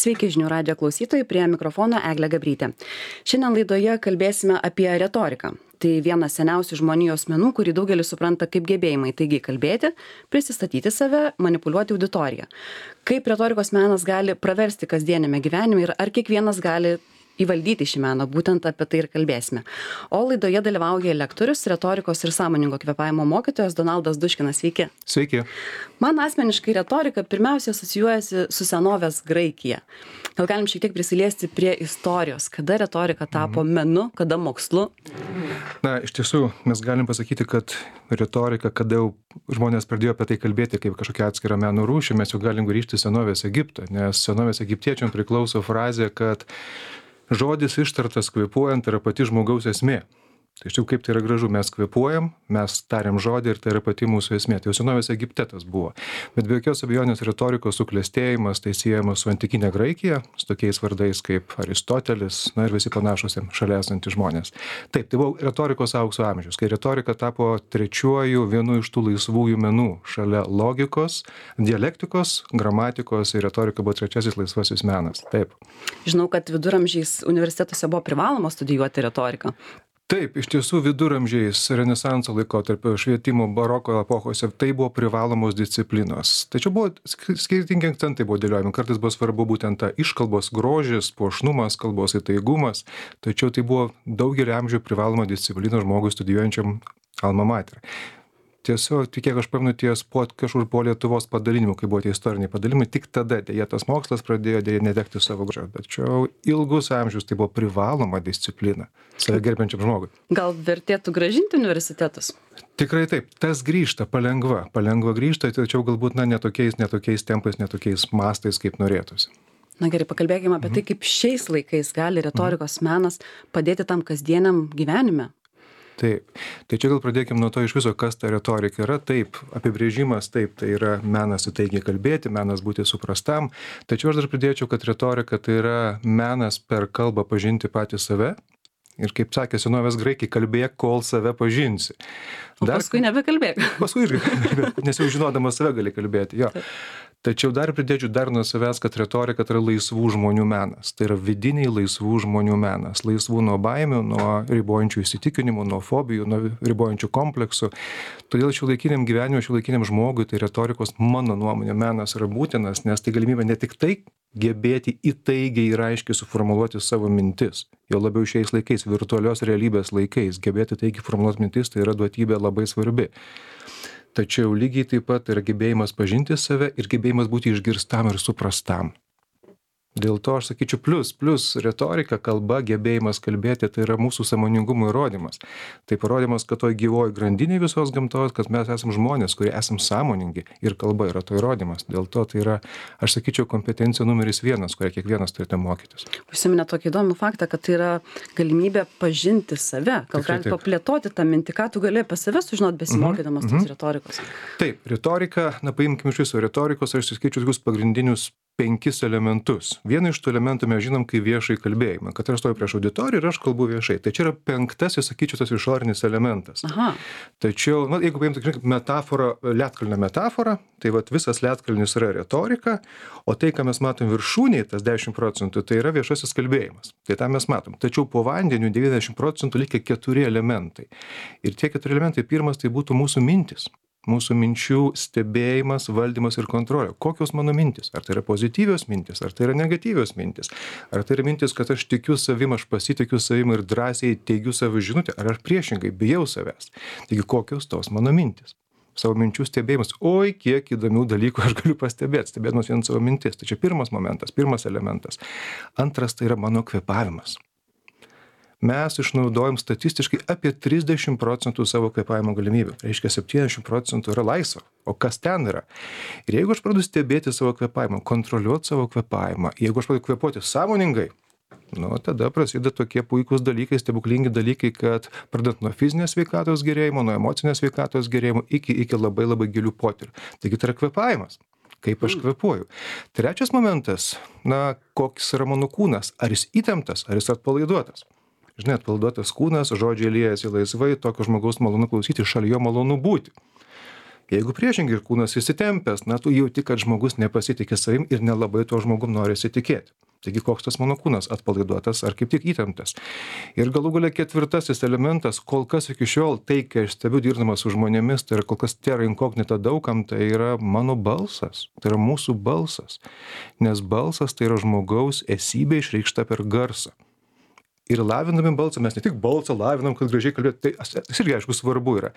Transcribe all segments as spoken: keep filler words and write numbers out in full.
Sveiki žinių radijo klausytojai, prie mikrofono Eglė Gabrytė. Šiandien laidoje kalbėsime apie retoriką. Tai vienas seniausių žmonijos menų, kurį daugelis supranta kaip gebėjimai taigiai kalbėti, prisistatyti save, manipuliuoti auditoriją. Kaip retorikos menas gali praversti kasdienėme gyvenime ir ar kiekvienas gali įvaldyti šį meną, būtent apie tai ir kalbėsime. O laidoje dalyvauja lektorius, retorikos ir sąmoningo kvėpavimo mokytojas Donaldas Duškinas. Sveiki. Sveiki. Man asmeniškai retorika pirmiausia asocijuojasi su senovės Graikija. Gal galim šiek tiek prisiliesti prie istorijos, kada retorika tapo menu, kada mokslu? Na, iš tiesų, mes galim pasakyti, kad retorika, kada jau žmonės pradėjo apie tai kalbėti kaip kažkokią atskirą meno rūšį, mes jau galim grįžti į senovės Egiptą, nes senovės egiptiečiam priklauso frazė, kad žodis ištartas kvėpuojant yra pati žmogaus esmė. Tai iš tikrųjų, kaip tai yra gražu, mes kvėpuojam, mes tariam žodį ir tai yra pati mūsų esmė. Tai jau senovės Egipte tas buvo. Bet be jokios abejonės retorikos suklestėjimas tai siejamas su antikinė Graikija, su tokiais vardais kaip Aristotelis, na ir visi panašus šalia esantys žmonės. Taip, tai buvo retorikos aukso amžius, kai retorika tapo trečiuoju vienu iš tų laisvųjų menų šalia logikos, dialektikos, gramatikos ir retorika buvo trečiasis laisvasis menas. Taip. Žinau, kad viduramžiais universitetuose buvo privaloma studijuoti retoriką. Taip, iš tiesų viduramžiais, renesanso laikotarpio, švietimo, baroko epochose tai buvo privalomos disciplinos. Tačiau buvo skirtingi akcentai buvo dėliojami. Kartais buvo svarbu būtent ta iškalbos grožis, puošnumas, kalbos įtaigumas. Tačiau tai buvo daugelį amžių privaloma disciplina žmogui studijuojančiam alma mater. Tiesiog, tik kiek aš pamenu, ties po, kažkur po Lietuvos padalinimų, kai buvo tie istoriniai padalinimai, tik tada dėja tas mokslas pradėjo dėja nedegti savo grožio. Tačiau ilgus amžius tai buvo privaloma disciplina save gerbiančiam žmogui. Gal vertėtų grąžinti universitetus? Tikrai taip, tas grįžta palengva, palengva grįžta, tačiau galbūt na, netokiais, netokiais tempais, netokiais mastais, kaip norėtųsi. Na gerai, pakalbėkime apie tai, kaip šiais laikais gali retorikos menas padėti tam kasdieniam gyvenime. Taip, tai čia gal pradėkime nuo to iš viso, kas ta retorika yra. Taip, apibrėžimas, taip, tai yra menas įtaigiai kalbėti, menas būti suprastam. Tačiau aš dar pridėčiau, kad retorika tai yra menas per kalbą pažinti patį save. Ir kaip sakė senovės graikai, kalbėk, kol save pažinsi. O dar, paskui nebekalbėk. Paskui irgi kalbėk, nes jau žinodamas save gali kalbėti. Jo. Tačiau dar pridėčiau dar nuo savęs, kad retorika tai yra laisvų žmonių menas. Tai yra vidiniai laisvų žmonių menas. Laisvų nuo baimių, nuo ribojančių įsitikinimų, nuo fobijų, nuo ribojančių kompleksų. Todėl šiuolaikiniam gyvenimui, šiuolaikiniam žmogui tai retorikos, mano nuomonė, menas yra būtinas, nes tai galimybė ne tik tai gebėti įtaigiai ir aiškiai suformuluoti savo mintis. Jo labiau šiais laikais, virtualios realybės laikais, gebėti taigiai formuluoti mintis, tai yra duotybė labai svarbi. Tačiau lygiai taip pat yra gebėjimas pažinti save ir gebėjimas būti išgirstam ir suprastam. Dėl to aš sakyčiau plus, plus retorika, kalba, gebėjimas kalbėti, tai yra mūsų sąmoningumo įrodymas. Tai parodymas, kad toj gyvoji grandinė visos gamtos, kad mes esame žmonės, kurie esame sąmoningi ir kalba yra to įrodymas. Dėl to tai yra, aš sakyčiau, kompetencija numeris vienas, kurią kiekvienas turite mokytis. Užsiminė tokį įdomų faktą, kad tai yra galimybė pažinti save. Gal gali paplėtoti tą mintį, ką tu gali apie save sužinoti besimokydamas mm-hmm. tos retorikos. Taip, retorika, na paimkime iš viso retorikos, aš skaičiu tokius pagrindinius penkis elementus. Vieną iš tų elementų mes žinom kaip viešai kalbėjimą, kad aš stoju prieš auditoriją ir aš kalbu viešai. Tai čia yra penktasis, sakyčiau, tas išorinis elementas. Aha. Tačiau, na, jeigu paimtų metaforą, ledkalnio metaforą, tai vat visas ledkalnis yra retorika, o tai, ką mes matom viršūnėje, tas dešimt procentų, tai yra viešasis kalbėjimas. Tai tą mes matom. Tačiau po vandeniu devyniasdešimt procentų likia keturi elementai. Ir tie keturi elementai, pirmas tai būtų mūsų mintis. Mūsų minčių stebėjimas, valdymas ir kontrolė. Kokios mano mintis? Ar tai yra pozityvios mintis, ar tai yra negatyvios mintis? Ar tai yra mintis, kad aš tikiu savim, aš pasitikiu savim ir drąsiai teigiu savo žinutę, ar aš priešingai bijau savęs? Taigi kokios tos mano mintis? Savo minčių stebėjimas. Oi, kiek įdomių dalykų aš galiu pastebėti, stebėdamas vien savo mintis. Tai čia pirmas momentas, pirmas elementas. Antras tai yra mano kvėpavimas. Mes išnaudojam statistiškai apie trisdešimt procentų savo kvėpavimo galimybių. Reiškia, septyniasdešimt procentų yra laisva. O kas ten yra? Ir jeigu aš pradedu stebėti savo kvėpavimą, kontroliuoti savo kvėpavimą, jeigu aš pradedu kvėpuoti sąmoningai, nu, tada prasideda tokie puikūs dalykai, stebuklingi dalykai, kad pradedant nuo fizinės sveikatos gerėjimo, nuo emocinės sveikatos gerėjimo, iki, iki labai labai gilių potyrių. Taigi tai yra kvėpavimas. Kaip aš kvėpuoju. Trečias momentas, na, koks yra mano kūnas. Ar jis įtemptas, ar jis atpalaiduotas. Žinai, atpalaiduotas kūnas, žodžiai liejasi laisvai, tokio žmogaus malonu klausyti, šalia jo malonu būti. Jeigu priešingai ir kūnas įsitempęs, na, tu jauti, kad žmogus nepasitikė savim ir nelabai tuo žmogum nori įsitikėti. Taigi koks tas mano kūnas, atpalaiduotas ar kaip tik įtemptas. Ir galų galia ketvirtasis elementas, kol kas iki šiol tai, kai aš stebiu dirbdamas su žmonėmis, tai yra kol kas terra incognita daugam, tai yra mano balsas, tai yra mūsų balsas. Nes balsas tai yra žmogaus esybė išreikšta per garsą. Ir lavindami balsą, mes ne tik balsą lavinam, kad gražiai kalbėt, tai tas irgi aišku svarbu yra.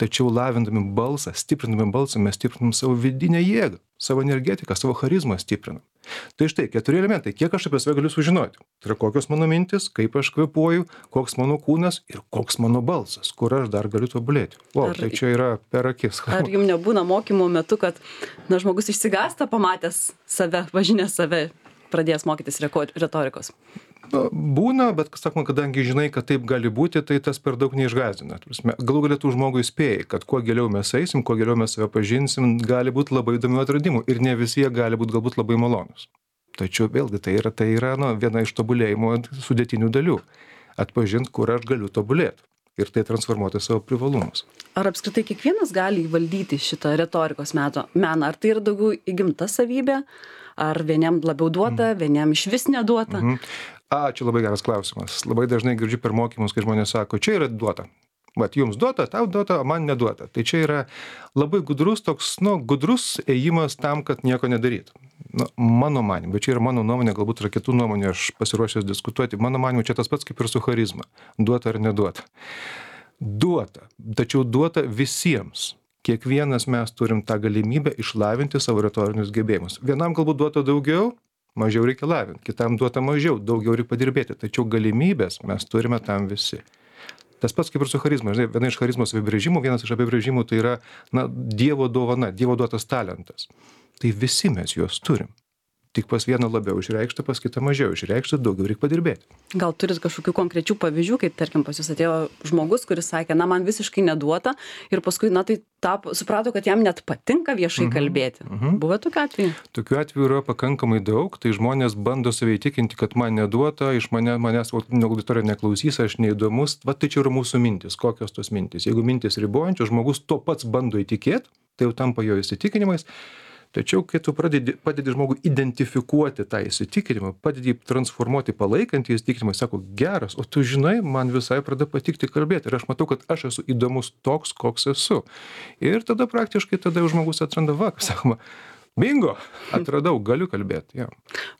Tačiau lavindami balsą, stiprindami balsą, mes stiprinam savo vidinę jėgą, savo energetiką, savo charizmą stiprinam. Tai štai, keturi elementai, kiek aš apie save galiu sužinoti. Tai yra kokios mano mintis, kaip aš kvėpuoju, koks mano kūnas ir koks mano balsas, kur aš dar galiu tobulėti. O, ar, tai čia yra per akis. Ar jums nebūna mokymo metu, kad na, žmogus išsigąsta pamatęs save, važinės save, pradėjęs mokytis retorikos? Na, būna, bet, sakoma, kadangi žinai, kad taip gali būti, tai tas per daug neišgąsdina. Galų galėtų žmogui spėjai, kad kuo giliau mes eisim, kuo giliau mes save pažinsim, gali būti labai įdomių atradimų ir ne visi jie gali būti galbūt labai malonus. Tačiau vėlgi tai yra, tai yra nu, viena iš tobulėjimo sudėtinių dalių. Atpažinti, kur aš galiu tobulėti ir tai transformuoti savo privalumus. Ar apskritai kiekvienas gali įvaldyti šitą retorikos meto meną? Ar tai yra daugiau įgimta savybė? Ar vieniem labiau duota, mm. vieniem iš vis neduota? Mm -hmm. A, čia labai geras klausimas. Labai dažnai girdžiu per mokymus, kai žmonės sako, čia yra duota. Vat jums duota, tau duota, o man neduota. Tai čia yra labai gudrus toks, nu, gudrus ėjimas tam, kad nieko nedarytų. Nu, mano manimu, bet čia yra mano nuomonė, galbūt yra kitų nuomonė, aš pasiruošęs diskutuoti. Mano manimu, čia tas pats kaip ir su charizma. Duota ar neduota. Duota, tačiau duota visiems. Kiekvienas mes turim tą galimybę išlavinti savo retorinius gebėjimus. Vienam galbūt duota daugiau, mažiau reikia lavinti, kitam duota mažiau, daugiau reikia padirbėti. Tačiau galimybės mes turime tam visi. Tas pats kaip ir su charizma. Žinai, viena iš charizmos apibrėžimų, vienas iš apibrėžimų tai yra na, Dievo dovana, Dievo duotas talentas. Tai visi mes juos turim. Tik pas vieną labiau išreikšta, pas kitą mažiau išreikšta, daugiau reikia padirbėti. Gal turit kažkokių konkrečių pavyzdžių, kaip tarkim pas jūs atėjo žmogus, kuris sakė, na man visiškai neduota ir paskui, na tai tap, suprato, kad jam net patinka viešai mm-hmm. kalbėti. Mm-hmm. Buvo tokių atvejų? Tokių atvejų yra pakankamai daug, tai žmonės bando save įtikinti, kad man neduota, iš mane, manęs auditorija neklausys, aš neįdomus, va tai čia yra mūsų mintis, kokios tos mintis. Jeigu mintis ribojančios, žmogus to pats bando įtikėti, tai jau tampa jo įsitikinimais. Tačiau, kai tu pradedi, padedi žmogui identifikuoti tą įsitikinimą, padedi transformuoti palaikantį įsitikinimą, sako, geras, o tu žinai, man visai pradeda patikti kalbėti ir aš matau, kad aš esu įdomus toks, koks esu. Ir tada praktiškai tada žmogus atranda, va, sakoma, bingo, atradau, galiu kalbėti. Ja.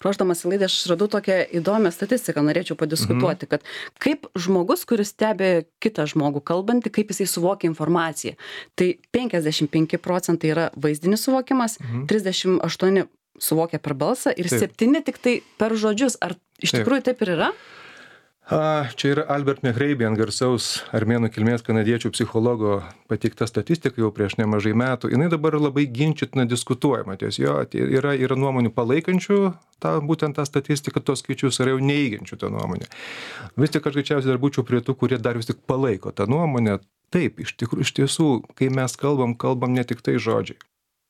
Ruošdamas į laidą aš radau tokią įdomią statistiką, norėčiau padiskutuoti, mhm. kad kaip žmogus, kuris stebi kitą žmogų kalbantį, kaip jisai suvokia informaciją. Tai penkiasdešimt penki procentai yra vaizdinis suvokimas, mhm. trisdešimt aštuoni suvokia per balsą ir taip. septyni tik tai per žodžius. Ar iš taip. tikrųjų taip ir yra? A, čia yra Albert Mehrabian, garsaus armėnų kilmės kanadiečių psichologo pateikta statistika jau prieš nemažai metų. Jinai dabar labai ginčytina diskutuojama. Ties jo yra, yra nuomonių palaikančių tą, būtent tą statistiką, tos skaičius, yra jau neigiančių tą nuomonę. Vis tik aš greičiausiai dar būčiau prie tų, kurie dar vis tik palaiko tą nuomonę. Taip, iš tikrųjų, iš tiesų, kai mes kalbam, kalbam ne tik tai žodžiai.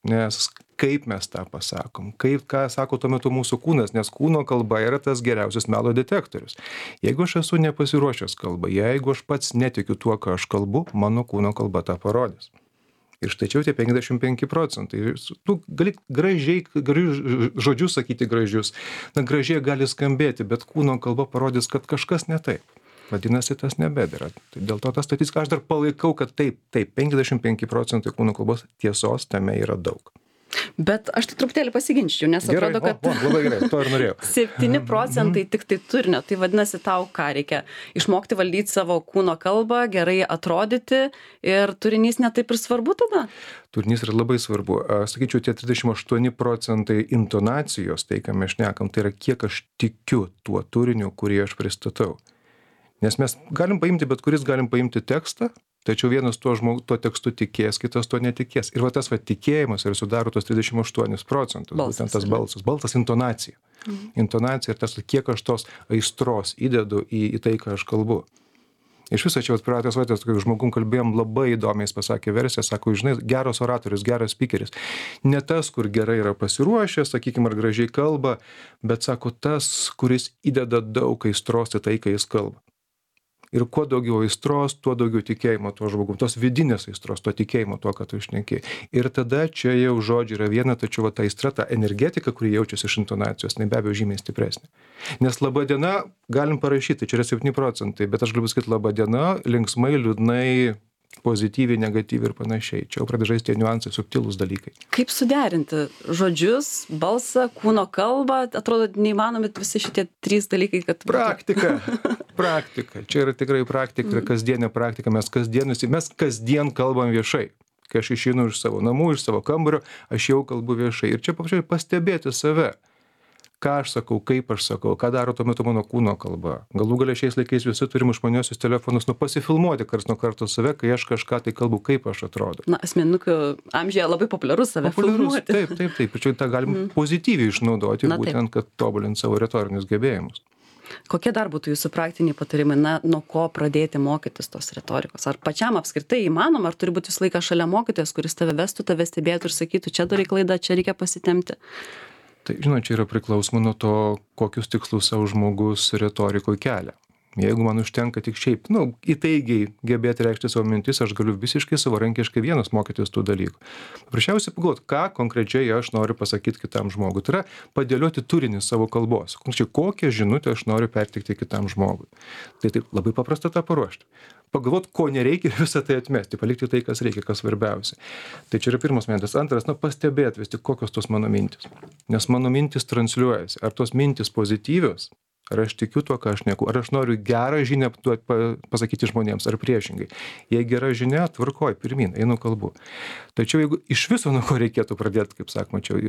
Nes kaip mes tą pasakom, kaip ką sako tuo metu mūsų kūnas, nes kūno kalba yra tas geriausias melo detektorius. Jeigu aš esu nepasiruošęs kalbą, jeigu aš pats netikiu tuo, ką aš kalbu, mano kūno kalba tą parodys. Ir štai čia tie penkiasdešimt penki procentai. Tu gali gražiai, gražius žodžius sakyti gražius, na gražiai gali skambėti, bet kūno kalba parodys, kad kažkas ne taip. Vadinasi, tas nebedėra. Tai dėl to tą statistiką aš dar palaikau, kad taip, taip, penkiasdešimt penki procentai kūno kalbos tiesos tame yra daug. Bet aš tai truputėlį pasiginčiau, nes gerai, atrodo, kad... O, o, labai gerai, to ir norėjau. septyni procentai tik tai turinio. Tai vadinasi, tau ką reikia? Išmokti valdyti savo kūno kalbą, gerai atrodyti ir turinys netaip ir svarbu tada? Turinys yra labai svarbu. Sakyčiau, tie trisdešimt aštuoni procentai intonacijos, tai ką mes šnekam, tai yra kiek aš tikiu tuo turiniu, kurį aš pristatau. Nes mes galim paimti, bet kuris galim paimti tekstą, tačiau vienas tuo, žmog, tuo tekstu tikės, kitas tuo netikės. Ir va tas va tikėjimas ir sudaro tos trisdešimt aštuonis procentus, balsas, būtent tas balsas. Balsas intonacija. Mhm. Intonacija ir tas, kiek aš tos aistros įdedu į, į tai, ką aš kalbu. Iš viso čia pratęs vatės, kai žmogum kalbėjom, labai įdomiai jis pasakė versiją, sako, žinai, geras oratorius, geras speakeris. Ne tas, kur gerai yra pasiruošęs, sakykime, ar gražiai kalba, bet sako tas, kuris įdeda daug aistros į tai, kai jis kalba. Ir kuo daugiau aistros, tuo daugiau tikėjimo tuo žmogum, tos vidinės aistros, to tikėjimo tuo, ką tu išneki. Ir tada čia jau žodžiai yra viena, tačiau va, ta aistra, ta energetika, kuri jaučiasi iš intonacijos, tai be abejo žymiai stipresnė. Nes laba diena galim parašyti, čia yra septyni procentai, bet aš galiu sakyti laba diena, linksmai, liūdnai, pozityviai, negatyviai ir panašiai. Čia jau pradeda žaisti tie niuansai, subtilūs dalykai. Kaip suderinti žodžius, balsą, kūno kalbą? Atrodo, neįmanomi visi šitie trys dalykai, kad... Praktika. Praktika. Čia yra tikrai praktika, yra kasdienė praktika. Mes kasdien, mes kasdien kalbam viešai. Kai aš išeinu iš savo namų, iš savo kambario, aš jau kalbu viešai. Ir čia paprasčiausiai pastebėti save. Ką aš sakau, kaip aš sakau, ką daro tuo metu mano kūno kalba. Galų galia šiais laikais visi turim išmaniuosius telefonus, nu pasifilmuoti karts nuo karto save, kai aš kažką tai kalbu, kaip aš atrodo. Na, asmenukių amžiuje labai populiarus save populiarus, filmuoti. Taip, taip, taip. Ir čia tą galim mm. pozityviai išnaudoti, Na, būtent, taip. kad tobulint savo retorinius gebėjimus. Kokie dar būtų jūsų praktiniai patarimai, na, nuo ko pradėti mokytis tos retorikos? Ar pačiam apskritai įmanoma, ar turi būti visą laiką šalia mokytojas, kuris tave vestų, tave stebėtų ir sakytų, čia darai klaidą, čia reikia pasitemti? Tai, žinot, čia yra priklausoma nuo to, kokius tikslus savo žmogus retorikoje kelia. Jeigu man užtenka tik šiaip, nu, įtaigiai gebėti reikšti savo mintis, aš galiu visiškai savarankiškai vienas mokytis tų dalykų. Paprasčiausiai pagalvoti, ką konkrečiai aš noriu pasakyti kitam žmogui. Tai yra padėlioti turinį savo kalbos. Konkrečiai, kokią žinutę aš noriu perteikti kitam žmogui. Tai taip labai paprasta tą paruošti. Pagalvoti, ko nereikia ir visą tai atmesti, palikti tai, kas reikia, kas svarbiausia. Tai čia yra pirmas momentas. Antras, na, pastebėti vis tik, kokios tos mano mintis. Nes mano mintis transliuojasi. Ar tos mintis pozityvios, ar aš tikiu tuo, ką aš neku, ar aš noriu gerą žinią pasakyti žmonėms, ar priešingai. Jei gera žinia, tvarkoj, pirmin, einu kalbu. Tačiau jeigu iš viso nuo ko reikėtų pradėti, kaip sakoma, čia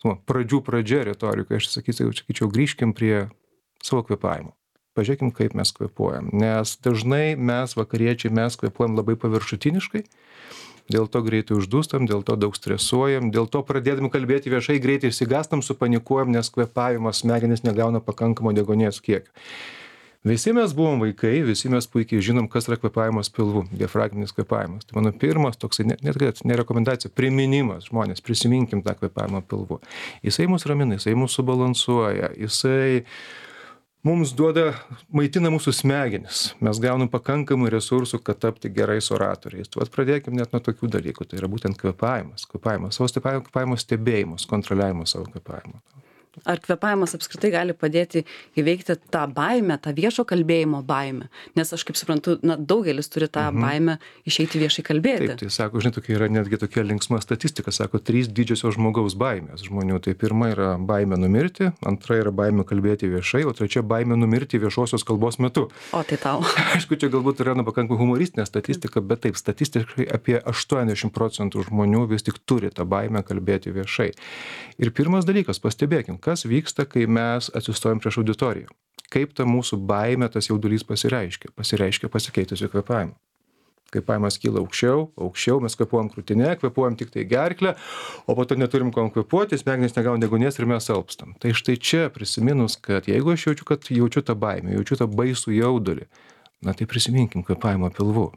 nu, pradžių pradžia retorika, aš sakyčiau, sakyčiau, grįžkim prie savo kvėpavimo. Pažiūrėkim, kaip mes kvėpuojam. Nes dažnai mes, vakariečiai, mes kvėpuojam labai paviršutiniškai, dėl to greitai uždūstam, dėl to daug stresuojam, dėl to pradėdami kalbėti viešai greitai išsigastam, supanikuojam, nes kvėpavimas smegenys negauna pakankamo deguonies kiekio. Visi mes buvom vaikai, visi mes puikiai žinom, kas yra kvėpavimas pilvu, diafragminis kvėpavimas. Tai mano pirmas toksai, net, net ne rekomendacija, priminimas, žmonės, prisiminkim tą kvėpavimą pilvu. Jisai mus ramina, jisai mus subalansuoja, jisai mums duoda, maitina mūsų smegenis. Mes gaunam pakankamai resursų, kad tapti gerais oratoriais. Vat pradėkim net nuo tokių dalykų. Tai yra būtent kvėpavimas. Kvėpavimas, savo kvėpavimo stebėjimas, kontroliavimas savo kvėpavimo. Ar kvėpavimas apskritai gali padėti įveikti tą baimę, tą viešo kalbėjimo baimę? Nes aš kaip suprantu, na, daugelis turi tą mhm. baimę išeiti viešai kalbėti. Taip, tai sako, žinai, tokia yra netgi tokia linksma statistika, sako, trys didžiosios žmogaus baimės žmonių. Tai pirma yra baimė numirti, antra yra baimė kalbėti viešai, o trečia baimė numirti viešosios kalbos metu. O tai tau. Aišku, čia galbūt yra nu, pakankamai humoristinė statistika, bet taip, statistiškai apie aštuoniasdešimt procentų žmonių vis tik turi tą baimę kalbėti viešai. Ir pirmas dalykas, pastebėkim, kas vyksta, kai mes atsistojam prieš auditoriją. Kaip ta mūsų baimė, tas jaudulys pasireiškia? Pasireiškia pasikeitusiu kvėpavimu. Kvėpavimas kyla aukščiau, aukščiau, mes kvėpuojam krūtinę, kvėpuojam tik tai gerklę, o po to neturim kom kvėpuoti, smegenys negauna deguonies ir mes alpstam. Tai štai čia prisiminus, kad jeigu aš jaučiu, kad jaučiu tą baimę, jaučiu tą baisų jaudulį, na tai prisiminkim kvėpavimą pilvu.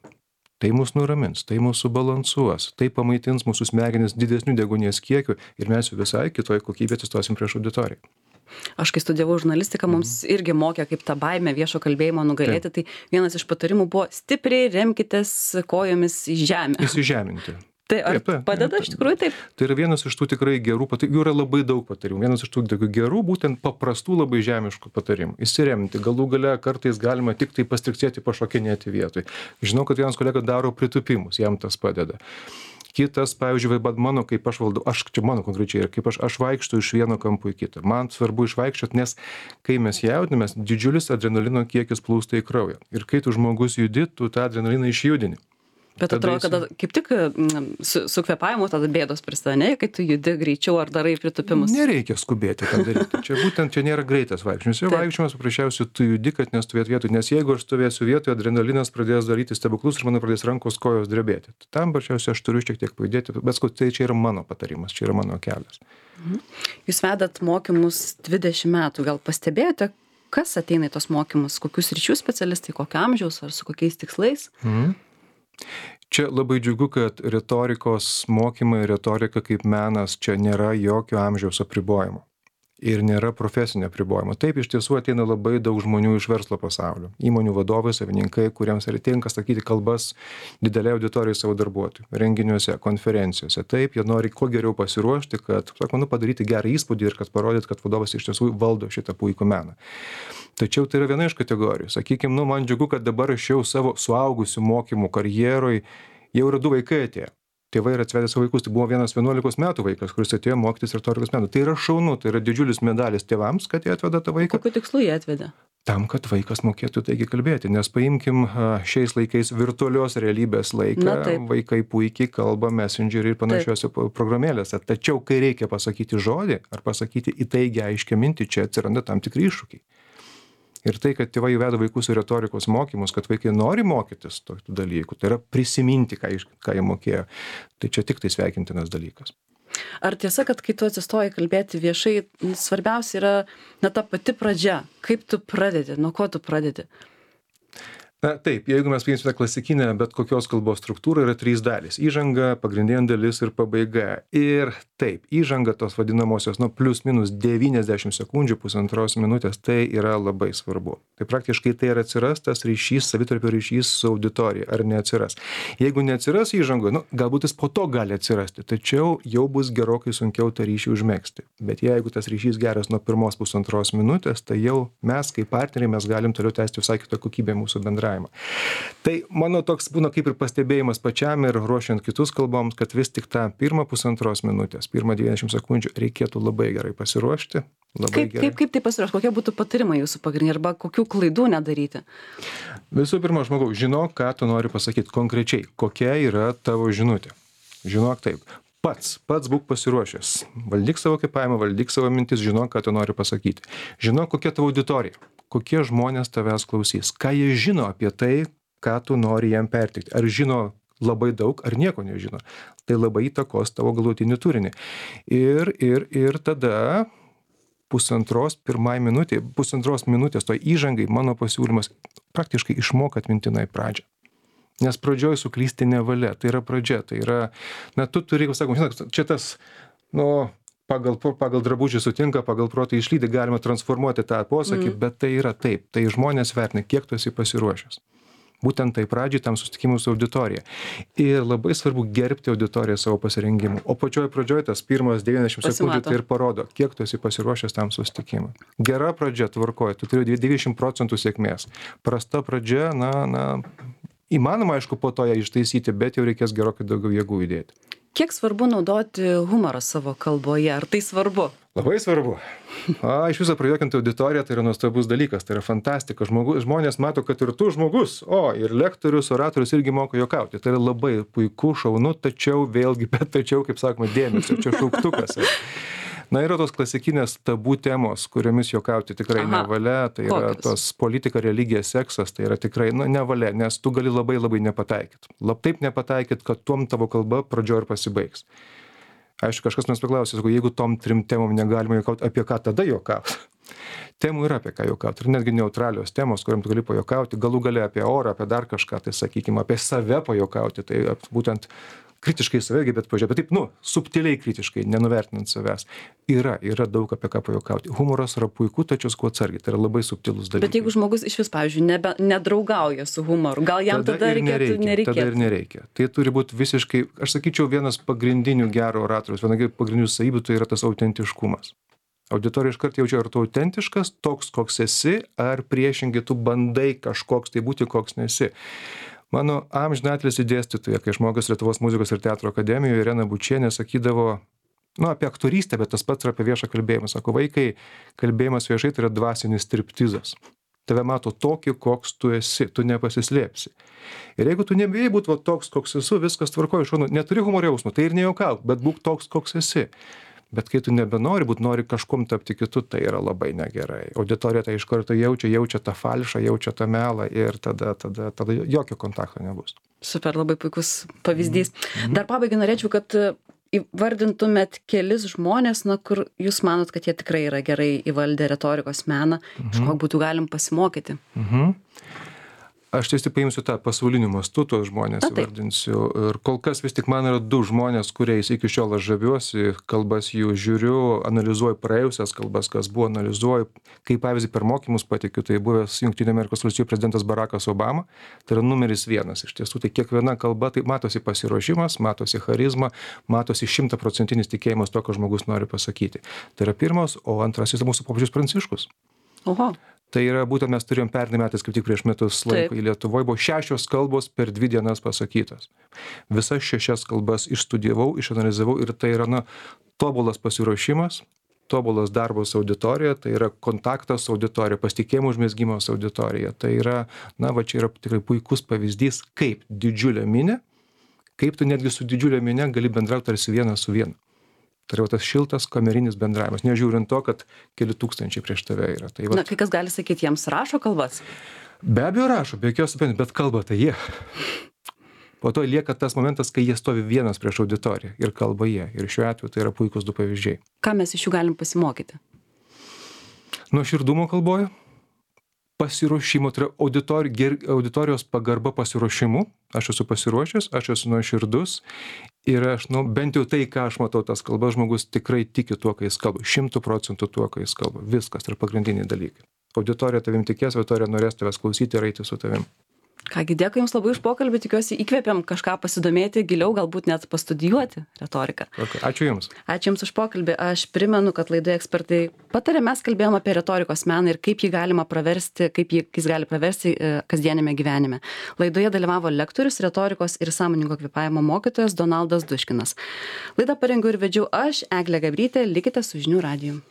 Tai mus nuramins, tai mūsų balansuos, tai pamaitins mūsų smegenis didesnių deguonies kiekių ir mes jau visai kitoj kokybė atsistosim prieš auditoriją. Aš kai studijavau žurnalistiką, mums mm. irgi mokė, kaip tą baimę viešo kalbėjimo nugalėti. Taip. Tai vienas iš patarimų buvo stipriai remkitės kojomis į žemę. Įsižeminti. Tai ar taip, taip, padeda taip, iš tikrųjų taip? Tai yra vienas iš tų tikrai gerų patarimų, jų yra labai daug patarimų. Vienas iš tų tokių gerų, būtent paprastų labai žemiškų patarimų. Įsiremti, galų gale kartais galima tik tai pastriksėti, pašokinėti vietoj. Žinau, kad vienas kolega daro pritupimus, jam tas padeda. Kitas, pavyzdžiui, bet mano, kaip aš valdau, aš čia mano konkrečiai, kaip aš, aš vaikštų iš vieno kampo į kitą. Man svarbu išvaikščioti, nes kai mes jaudinamės, didžiulis adrenalino kiekis plūsta į kraują. Ir kai tu žmogus judi, tu tą adrenaliną išjudini. Bet atrodo, kad kaip tik su, su kvėpavimu tada bėdos prisideda, kai tu judi greičiau ar darai pritupimus. Nereikia skubėti tą daryti. Čia būtent čia nėra greitas vaikščiojimas. Čia vaikščiojimas paprasčiausiai tu judi, kad nestovėt vietoj, nes jeigu aš stovėsiu vietoje, adrenalinas pradės daryti stebuklus ir man pradės rankos kojos drebėti. Tam paprasčiausiai aš turiu šiek tiek pajudėti, bet tai čia yra mano patarimas, čia yra mano kelias. Mhm. Jūs vedat mokymus dvidešimt metų, gal pastebėjote, kas ateina į tos mokymus, kokius ryčių specialistai, kokio amžiaus ar su kokiais tikslais? Mhm. Čia labai džiugu, kad retorikos mokymai, retorika kaip menas, čia nėra jokio amžiaus apribojimo. ir nėra profesinio apribojimo. Taip, iš tiesų ateina labai daug žmonių iš verslo pasaulio. Įmonių vadovai, savininkai, kuriems tinka sakyti kalbas didelė auditorijai savo darbuotojų, renginiuose, konferencijose. Taip, jie nori kuo geriau pasiruošti, kad, sako, nu, padaryti gerą įspūdį ir kad parodyt, kad vadovas iš tiesų valdo šitą puikų meną. Tačiau tai yra viena iš kategorijų. Sakykime, nu, man džiugu, kad dabar aš jau savo suaugusių mokymų karjeroj jau yra du vaikai atėję. Tėvai yra atvedę savo vaikus, tai buvo vienas vienuolikos metų vaikas, kuris atėjo mokytis retorikos menų. Tai yra šaunu, tai yra didžiulis medalis tėvams, kad jie atveda tą vaiką. Kokiu tikslu jie atvedė? Tam, kad vaikas mokėtų taigi kalbėti, nes paimkim šiais laikais virtualios realybės laiką, vaikai puikiai kalba Messengerį ir panašiose programėlėse. Tačiau, kai reikia pasakyti žodį ar pasakyti įtaigę aiškią mintį, čia atsiranda tam tikri iššūkiai. Ir tai, kad tėvai veda vaikus į retorikos mokymus, kad vaikai nori mokytis tokių dalykų, tai yra prisiminti, ką, ką jie mokėjo, tai čia tik tai sveikintinas dalykas. Ar tiesa, kad kai tu atsistoji kalbėti viešai, svarbiausia yra na, ta pati pradžia, kaip tu pradedi, nuo ko tu pradedi? Na taip, jeigu mes paimsime klasikinę bet kokios kalbos struktūrą, yra trys dalys. Įžanga, pagrindinė dalis ir pabaiga. Ir taip, įžanga tos vadinamosios, nu, plius minus devyniasdešimt sekundžių, pusantros minutės, tai yra labai svarbu. Tai praktiškai tai ir atsiras tas ryšys, savitarpio ryšys su auditorija, ar neatsiras. Jeigu neatsiras įžangoje, nu, galbūt jis po to gali atsirasti, tačiau jau bus gerokai sunkiau tą ryšį užmegzti. Bet jeigu tas ryšys geras nuo pirmos pusantros minutės, tai jau mes kaip partneriai mes galim toliau tęsti visai kitą kokybę mūsų bendravimo. Tai mano toks būna kaip ir pastebėjimas pačiam ir ruošiant kitus kalboms, kad vis tik tą pirmą pusantros minutės, pirmą devyniasdešimt sekundžių reikėtų labai gerai pasiruošti. Labai kaip, gerai. kaip, kaip tai pasiruošti? Kokie būtų patarimai jūsų pagrindiniai arba kokių klaidų nedaryti? Visų pirma, žmogau, žinok, ką tu nori pasakyti konkrečiai, kokia yra tavo žinutė. Žinok taip. Pats, pats būk pasiruošęs. Valdyk savo kvėpavimą, valdyk savo mintis, žinok, ką tu nori pasakyti. Žinok, kokia tavo auditorija, kokie žmonės tavęs klausys, ką jie žino apie tai, ką tu nori jam perteikti. Ar žino labai daug, ar nieko nežino. Tai labai įtakos tavo galutinį turinį. Ir, ir, ir tada pusantros pirmai minutė, pusantros minutės to įžangai mano pasiūlymas praktiškai išmok atmintinai pradžią. Nes pradžioj suklysti nevalia, tai yra pradžia, tai yra, na, tu turi, sakom, žinok, čia tas, nu, pagal, pagal drabužį sutinka, pagal protą išlydi, galima transformuoti tą posakį, mm. bet tai yra taip, tai žmonės vertina, kiek tu esi pasiruošęs. Būtent tai pradžiai tam susitikimui su auditorija. Ir labai svarbu gerbti auditoriją savo pasirengimu. O pačioj pradžioj tas pirmas devyniasdešimt sekundžių tai ir parodo, kiek tu esi pasiruošęs tam susitikimui. Gera pradžia tvarkoja, tu turi devyniasdešimt procentų sėkmės. Prasta pradžia, na, na, įmanoma, aišku, po to ją ištaisyti, bet jau reikės gerokai daugiau jėgų įdėti. Kiek svarbu naudoti humorą savo kalboje? Ar tai svarbu? Labai svarbu. A, iš viso prajuokinti auditoriją tai yra nuostabus dalykas, tai yra fantastika. Žmogus, žmonės mato, kad ir tu žmogus, o ir lektorius, oratorius irgi moka juokauti. Tai yra labai puiku, šaunu, tačiau vėlgi, bet tačiau, kaip sakoma, dėmesio, čia šauktukas. Na, yra tos klasikinės tabų temos, kuriomis juokauti tikrai Aha. nevalia, tai yra Kokius? Tos politika, religija, seksas, tai yra tikrai, nu, nevalia, nes tu gali labai labai nepataikyt. Lab taip nepataikyt, kad tom tavo kalba pradžio ir pasibaigs. Aišku, kažkas mes paklausė, jeigu tom trim temom negalima juokauti, apie ką tada juokauti? Temų yra apie ką juokauti, ir netgi neutralios temos, kuriam tu gali pajuokauti, galų gale apie orą, apie dar kažką, tai sakykime, apie save pajuokauti, tai būtent kritiškai save, bet pažiūrėjau, bet taip, nu, subtiliai kritiškai, nenuvertinant savęs. Yra, yra daug apie ką pajuokauti. Humoras yra puiku, tačiau kuo atsargiai, tai yra labai subtilus dalykas. Bet jeigu žmogus iš vis, pavyzdžiui, nebe, nedraugauja su humoru, gal jam tada, tada reikėtų, nereikia, nereikėtų? Tada ir nereikia. Tai turi būti visiškai, aš sakyčiau, vienas pagrindinių gero oratoriaus, viena pagrindinių savybių, tai yra tas autentiškumas. Auditorija iškart jaučia, ar tu autentiškas, toks, koks esi, ar priešingai tu bandai kažkoks tai būti, koks nesi. Mano amžinatilsį dėstytoja, kai žmogus Lietuvos muzikos ir teatro akademijoje, Irena Bučienė, sakydavo, nu, apie aktorystę, bet tas pats yra apie viešą kalbėjimą. Sako, vaikai, kalbėjimas viešai tai yra dvasinis striptizas. Tave mato tokį, koks tu esi, tu nepasislėpsi. Ir jeigu tu nebijai būti toks, koks esu, viskas tvarkoja, šonu, neturi humorio jausmo, tai ir nejuokauk, bet būk toks, koks esi. Bet kai tu nebenori būt, nori kažkuom tapti kitu, tai yra labai negerai. Auditorija tai iš karto jaučia, jaučia tą falšą, jaučia tą melą ir tada, tada, tada jokio kontakto nebus. Super, labai puikus pavyzdys. Mm-hmm. Dar pabaigai norėčiau, kad įvardintumėt kelis žmonės, na, kur jūs manot, kad jie tikrai yra gerai įvaldę retorikos meną, mm-hmm. iš ko būtų galim pasimokyti. Mhm. Aš vis tik paimsiu tą pasauliniu mastu, tuos žmonės įvardinsiu. Ir kol kas vis tik man yra du žmonės, kuriais iki šiol aš žaviuosi, kalbas jų žiūriu, analizuoju praėjusias kalbas, kas buvo, analizuoju, kaip pavyzdį per mokymus patikiu, tai buvęs Jungtinių Amerikos Valstijų prezidentas Barackas Obama, tai yra numeris vienas. Iš tiesų, tai kiekviena kalba, tai matosi pasiruošimas, matosi charizma, matosi šimtaprocentinis tikėjimas to, ką žmogus nori pasakyti. Tai yra pirmas, o antrasis yra mūsų popiežius Pranciškus. Oho. Tai yra būtent mes turėjom pernai metais, kaip tik prieš metus laiko į Lietuvoje, buvo šešios kalbos per dvi dienas pasakytos. Visas šešias kalbas išstudijavau, išanalizavau ir tai yra, na, tobulas pasiruošimas, tobulas darbas auditorija, tai yra kontaktas auditorija, pasitikėjimo užmezgimas auditorija. Tai yra, na, va čia yra tikrai puikus pavyzdys, kaip didžiulė minė, kaip tu netgi su didžiulė minė gali bendrauti tarsi vienas su vienu. Tai yra tas šiltas kamerinis bendravimas, nežiūrint to, kad keli tūkstančiai prieš tave yra. Tai va... Na, kai kas gali sakyti, jiems rašo kalbas? Be abejo rašo, be jokios abejonės, bet kalba tai jie. Po to lieka tas momentas, kai jie stovi vienas prieš auditoriją ir kalba jie. Ir šiuo atveju tai yra puikus du pavyzdžiai. Ką mes iš jų galim pasimokyti? Nuoširdumo kalboje, pasiruošimo, tai yra auditori, ger, auditorijos pagarba pasiruošimu. Aš esu pasiruošęs, aš esu nuoširdus ir aš, nu, bent jau tai, ką aš matau tas kalbas, žmogus tikrai tiki tuo, kai jis kalba, šimtų procentų tuo, kai jis kalba. Viskas, tai yra pagrindiniai dalykai. Auditorija tavim tikės, auditorija norės tavęs klausyti ir eiti su tavim. Kągi, dėkui Jums labai už pokalbį, tikiuosi įkvėpiam kažką pasidomėti giliau, galbūt net pastudijuoti retoriką. Okay. Ačiū Jums. Ačiū Jums už pokalbį. Aš primenu, kad laidoje ekspertai patarė, mes kalbėjom apie retorikos meną ir kaip jį galima praversti, kaip jį, jis gali praversti e, kasdienėme gyvenime. Laidoje dalyvavo lektorius, retorikos ir sąmoningo kvėpavimo mokytojas Donaldas Duškinas. Laidą parengiau ir vedžiau aš, Eglė Gabrytė, likite su Žinių radiju.